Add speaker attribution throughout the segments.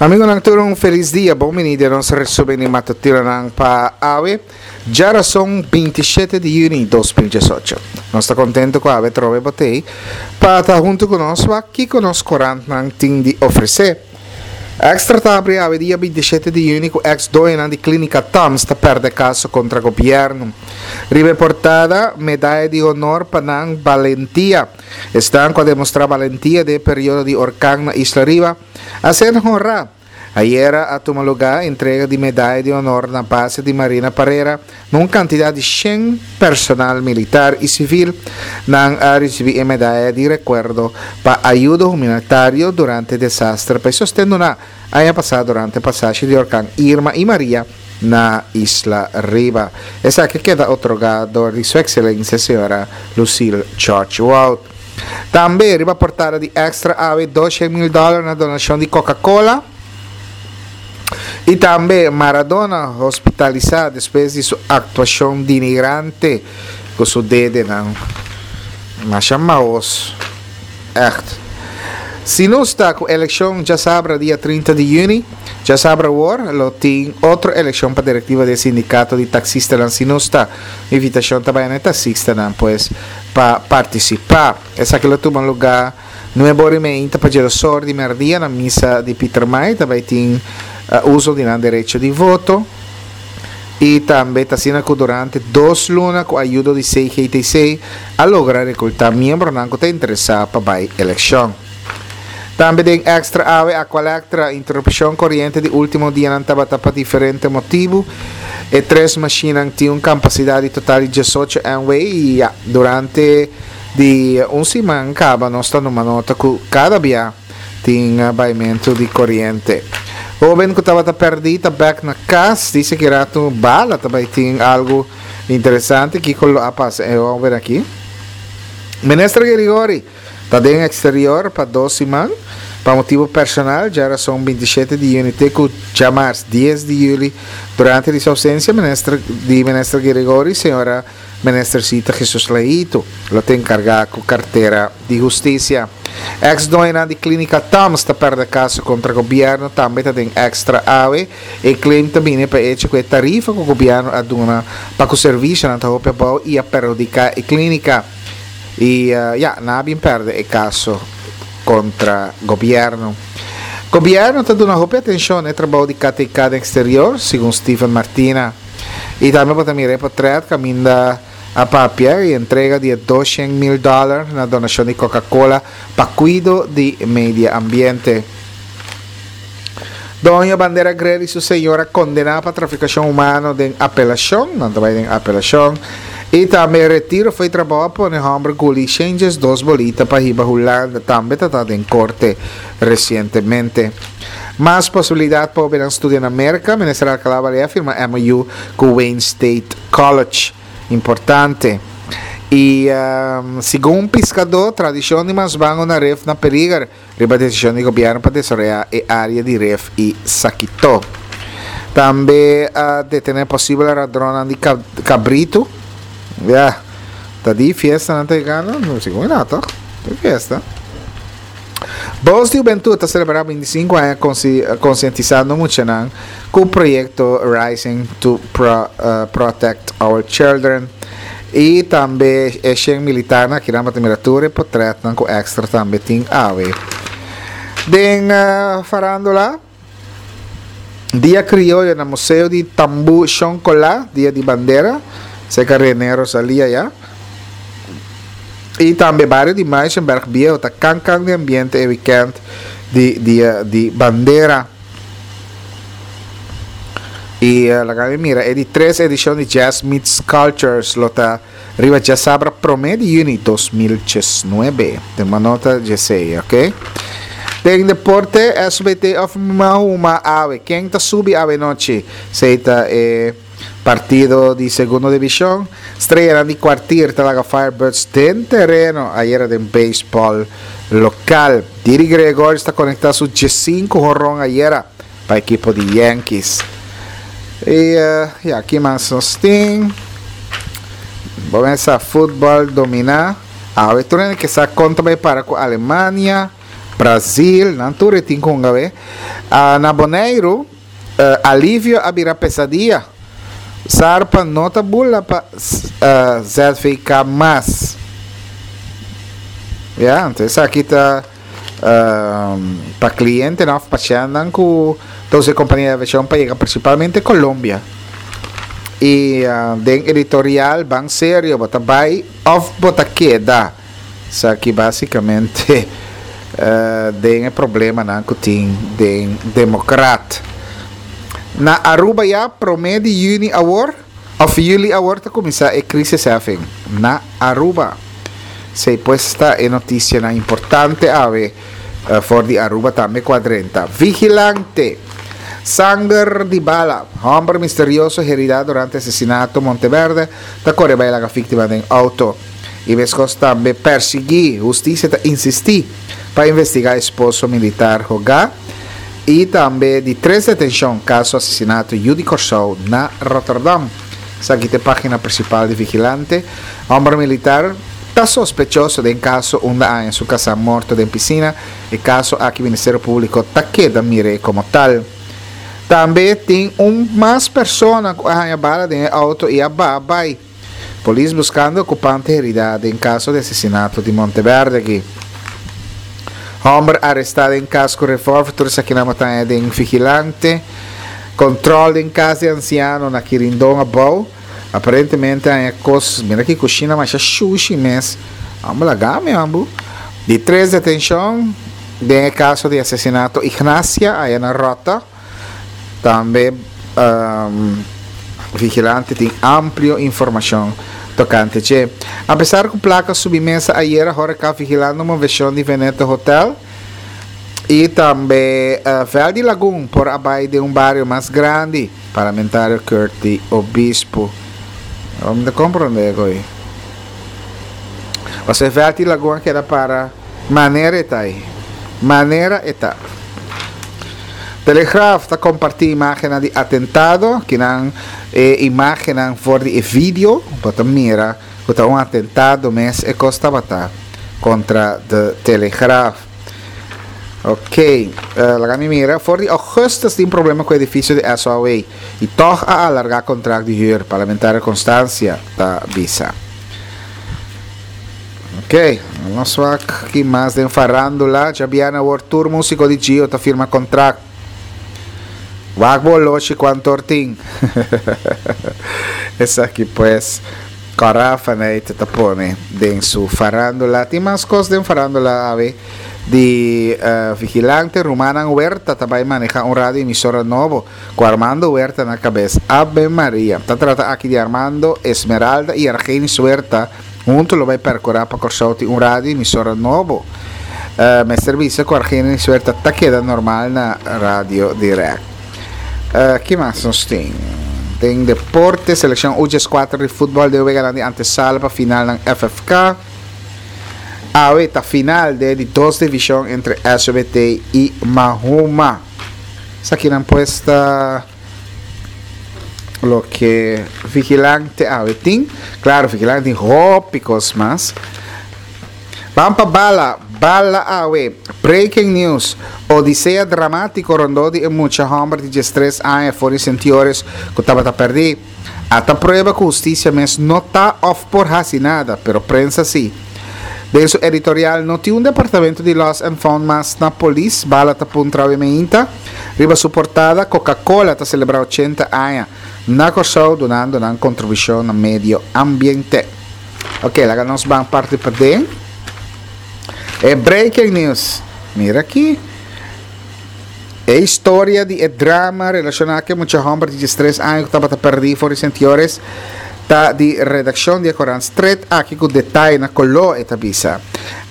Speaker 1: Amigonan tur un felis dia, bon bini den nos resumen di matutinonan pa awe, djarason 27 di juni 2018. Nos ta contento cu awe trobe bo t'ey pa ta hunto cu nos wak kico nos corantnan tin di ofrece. Extra ta habri awe dia 27 di juni cu ex doñonan di Clinica Toms ta perde caso contra gobierno. Riba e portada, medaya di honor pa nan balentia. Esnan cu a demostra balentia den e periodo di orkan na Isla Riba a ser honra. Ayera a tuma luga entrega di medaya di honor na base di Marina Parera na un cantidad di shen personal militar y civil. Nan a ricibi e medaya di recuerdo pa ayudo humanitario durante desastre pa e sosten duna aña pasa durante pasashi di orkan Irma y Maria na Isla Riba. Esaki a keda otorgá dor di Su Excelencia Señora Lucille George Wout. Tambe riba portada di Extra awe 200 mil dòler na donashon di Coca Cola. I tambe Maradona hospitalisá despues di su aktuashon denigrante ku su dedenan. Masha maos. Echt. Si nos ta ku elekshon djasabra dia 30 di yüni, djasabra awor lo tin otro elekshon pa direktiva di e sindikato di taksistanan si nos ta. Invitashon ta bai na e taksistanan pues pa partisipá. Esaki lo tuma lugá nuebe ora i meinta pa djedosor di mèrdia na misa di Pietermaai. Ta bai tin uso di nan derecho di voto. I tambe ta asina ku durante dos luna ku ayudo di CGTC a logra rekultá miembronan ku ta interesá pa bai elekshon. Tambe den Extra awe Aqualectra interupshon koriente di último dianan tabata pa diferente motibu. E tres mashinnan tin un kampasidat di total di 18 MW i ya durante di un siman kaba nos ta numa nota ku kada bia Tin baimentu di koriente. Hoben ku tabata pèrdí ta bèk na kas. Dice ki ratu bala ta bai tin algu interesante. Kiko lo a pasa e hoben aki? Minister Gerigori ta den eksterior pa dos siman pa motibu personal. Djarason 27 di yüni te ku djamars 10 di yüli. Durante di su ousensia minister di Minister Gerigori, señora. Minister Sita Jesus Leito lo ta enkargá ku kartera di hustisia. Eks doñonan di Klínika Toms ta pèrdè kaso kontra gobièrnu tambe ta den Extra awe. E claim ta bini pa e echo ku e tarifa ku gobièrnu a duna pa ku servisionan ta hopi abou i a perhudiká e klínika. I ya, nan a bin pèrdè e kaso kontra gobièrnu. Gobièrnu ta duna hopi atenshon na e trabou di KTK den eksterior, segun Steven Martina. I tambe bo ta mira e potret kaminda a papia i entrega di e 200 mil dòler na donashon di Coca-Cola pa kuido di media ambiente. Doño Bandera Grill i su señora kondená pa trafikashon humano den apelashon, nan ta bai den apelashon. I tambe retiro fo'i trabou a pone hòmber guli shenjes dos bolita pa hiba Hulanda tambe ta ta den korte resientemente. Mas posibilidat pa hobennan studia na Merka, Minister Alcalá Balea a firma MOU ku Wayne State College. Importante. I segun un piskadó, tradishon di masbango na ref na peliger riba desishon di gobièrnu pa desaroyá e área di ref i Sakito. Tambe a detené posibel radronnan di kabritu. Ya, ta di fiesta nan ta yegando? Segun mi no, tòg? Di fiesta. Bos di Hubentud ta selebrá 25 aña konsientisando muchanan ku proyekto Rising to Protect Our Children i tambe e shen militarnan. Akinan bo ta mira tur e potretnan ku Extra tambe tin awe den farándula. Dia Crioyo na Museo di Tambú Shon Colá, Dia di Bandera, cerca René Rosalia ya. Y tambe bario di Muizenberg Bieu ta can can di ambiente e weekend di Dia di Bandera. Y laga mi mira e di tres edicion di Jazz Meets Cultures lo ta Riba djasabra promé di yüni 2019. Tuma nota djesei, ok? Den deporte, SBT of Mahuma awe. Ken ta subi awe nochi? Sei ta e partido di segundo divishon. Streanan di Kwartier ta laga Firebirds den tereno ayera den beisbòl lokal. Didi Gregorius ta konektá su 15 honron ayera pa ekipo di Yankees. Y ya, ki mas nos tin? Bo mesa futbol domina. Awe tur hende ke sa kon ta bai para ku Alemania. Brazil, nan tur e tin ku hunga awe. Na Boneiru, alivio a bira pesadia. Sarpa no ta bula pa ZVK mas. Ya, anto esaki ta pa klientenan òf pashèntnan ku ta usa e kompania di aviashon pa yega prinsipalmente Colombia. I den editorial Ban Serio bo ta bai òf bo ta keda. Esaki básikamente den e problemanan ku tin den Demokrat. Na Aruba ya promé di yüni awor òf yüli awor ta kuminsá e krisisheffing na Aruba. Esei pues ta e notisianan importante awe for di Aruba tambe ku a drenta. Vigilante! Sanger di bala, Hòmber misterioso heridá durante asesinato Monteverde ta kore bai laga víktima den outo. I meskos tambe persiguí, hustisia ta insistí pa investigá esposo militar hogá i tambe di tres detenshon kaso asesinato yu di Kòrsou na Rotterdam. Esaki ta e página prinsipal di Vigilante. Hòmber militar ta sospechoso den kaso unda a haña su kasá morto den pisina. E kaso aki Ministerio Públiko ta keda mir'é komo tal. Tambe tin un mas persona ku a haña bala den e outo i a baha bai. Polis buskando okupante heridá den kaso di asesinato di Monteverde aki. Hòmber arestá den kas ku revòlver tur esakinan bo ta haña den Vigilante. Kòntròl den kas di ansiano na Kirindon abou. Aparentemente haña kos, mira ki kushina masha shushi mes. Amo laga mi ambu. Di tres detenshon den e kaso di asesinato Ignacia aya na Ròta. Tambe Vigilante tin amplio informashon tokante dje. Apesar ku plaka subi mesa ayera Horeca vigilando moveshon di Veneto Hotel i tambe Veld di Lagun por a bai den un bario mas grandi, Parlamentario Curty Obispo. Mi ta komprondé e ko'i. Pasobra e Veld di Lagun a keda para manera e ta ei. Manera e ta. Telegraaf ta kompartí imágennan di atentado. Kinan e imágennan for di e video. Bo ta mira ku ta un atentado mes e kos tabata kontra de Telegraaf. Ok, laga mi mira. For di augustus tin problema ku edifisio di SOAW i tòg a alargá kontrakt di hür, Parlamentario Constancia ta bisa. Ok, nos wak ki mas den farándula. Djabièrnè awor tur músiko di Gio ta firma kontrakt. Wak bo oloshi kuantu or tin. Esaki pues Cora Faneyte ta pone den su farándula. Tin mas kos den farándula awe di Vigilante. Rumannan Huerta ta bai maneha un radio emisora nobo ku Armando Huerta na kabes. Ave Maria. Ta trata aki di Armando, Esmeralda i Argenis Huerta. Huntu lo bai percura pa Corsou tin un radio emisora nobo. Mester bisa cu Argenis Huerta ta keda normal na Radio Direct. Ki mas nos tin? Den deporte, seleccion U14 di futbol den weganan di antesala pa finalnan FFK. Awe ta final den di dos division entre SOBT y Mahuma. Esakinan pues ta Loke Vigilante awe tin. Claro, Vigilante tin hopi cos mas. Ban pa bala, bala awe. Breaking news. Odisea dramatico rondó di e mucha homber di diestres aña for di Sentiores cu tabata perdi. Ata prueba cu husticia mes no ta of por haci nada, pero prensa si. Den su editorial No tin un departamento di Lost and Found mas na polis, Bala ta puntra awe meinta. Riba su portada Coca Cola ta celebra ochenta aña na Corsou dunando nan contribucion na medio ambiente. Ok, laga nos ban parti paden. E breaking news. Mira aki. E historia di e drama relashoná ku e mucha hòmber di diestres aña ku tabata pèrdí for di Sint Joris ta di redakshon di e korant Stret aki ku detaye na koló, e ta bisa.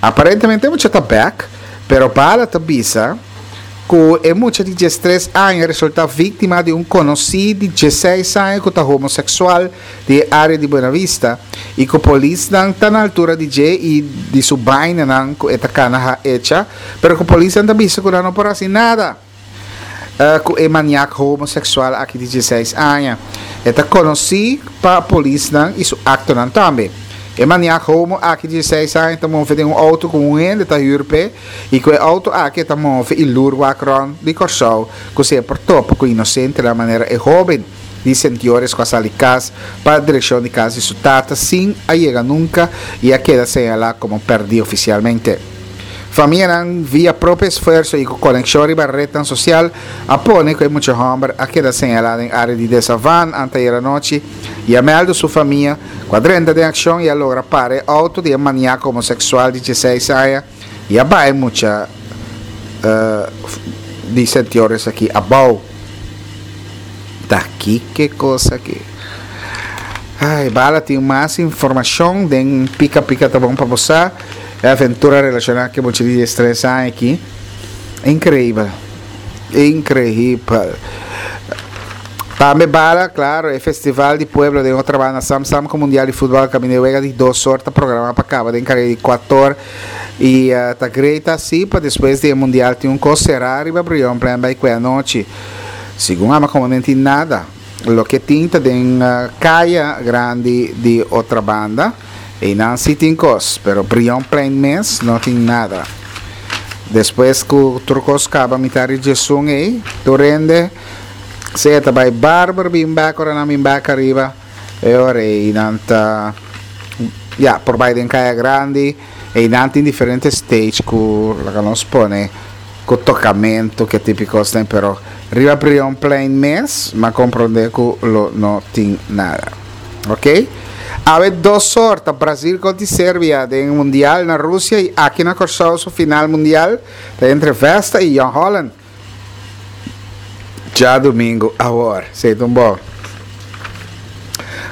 Speaker 1: Aparentemente e mucha ta bèk, pero Bala ta bisa ku e mucha di diestres aña resultá víktima di un konosí di diesseis aña ku ta homoseksual di e área di Buena Vista i ku polisnan ta na altura di dje i di su bainanan ku e ta kana ha echa. Pero ku polisnan ta bisa ku nan no por hasi nada ku e maniak homoseksual aki di diesseis aña. E ta konosí pa polisnan i su aktonan tambe. E maniak homo aki di dieseis aña ta move den un outo ku un hende ta hür p'e i ku e outo aki e ta move i lur wak rònt di Kòrsou ku si e por topa ku inosentenan manera e hóben di Sentiores ku a sali kas pa direkshon di kas di su tata sin a yega nunka i a keda señalá komo pèrdí ofisialmente. Famianan via propio esfuerso i ku konekshon riba retnan sosial a pone ku e mucha hòmber a keda señalá den área di Desavan anteayer anochi i a mèldu su famia ku a drenta den akshon i a logra para e outo di e maniako homoseksual di dieseis aña i a baha e mucha di Sentiores aki abou. Ta kiko e kos aki? Ai, bala tin mas informashon den Pika Pika ta bon pa bo sa. E aventura relashoná ku e mucha di diestres aña aki. Inkreibel. Inkreibel. Tambe bala, klaro, e festival di pueblo den Otrabanda Sam Sam ku Mundial di Futbòl kaminda e wega di dos or ta programá pa kaba den kareda di kuator i ta great asi pa despues di e Mundial tin un kos será riba Brionplein bai kue anochi. Segun ama komo no tin nada. Loke tin ta den kaya grandi di Otrabanda. Einan si tin kos, pero Brionplein mes no tin nada. Despues ku tur kos kaba mitar di djesun ei, tur hende sea ta bai Barber bin bek ora nan bin bek ariba, e ora ei nan ta, ya, por bai den Kaya Grandi. Einan tin diferente stage ku laga nos pone ku tokamentu, ke tipo kosnan, pero riba Brionplein mes m'a komprondé ku lo no tin nada. Ok. Awe dos or ta Brazil kontra Serbia den Mundial na Rusia i aki na Kòrsou su final mundial ta entre Vesta i Jong Holland. Djadumingu awor. Esei ta un bon.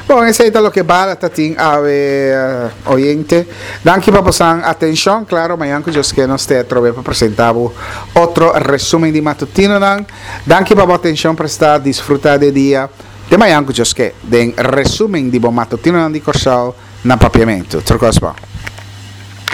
Speaker 1: Bon, esei ta loke bala ta tin awe oyente. Danki pa bosan atenshon. Klaro, mañan ku Dios ke nos te atrobe pa presenta bo otro resumen di matutinonan. Danki pa bo atenshon prestá. Disfruta di e dia. Te mañan ku Dios ke den resumen di bo matutinonan di Kòrsou na Papiamentu. Tur kos bon.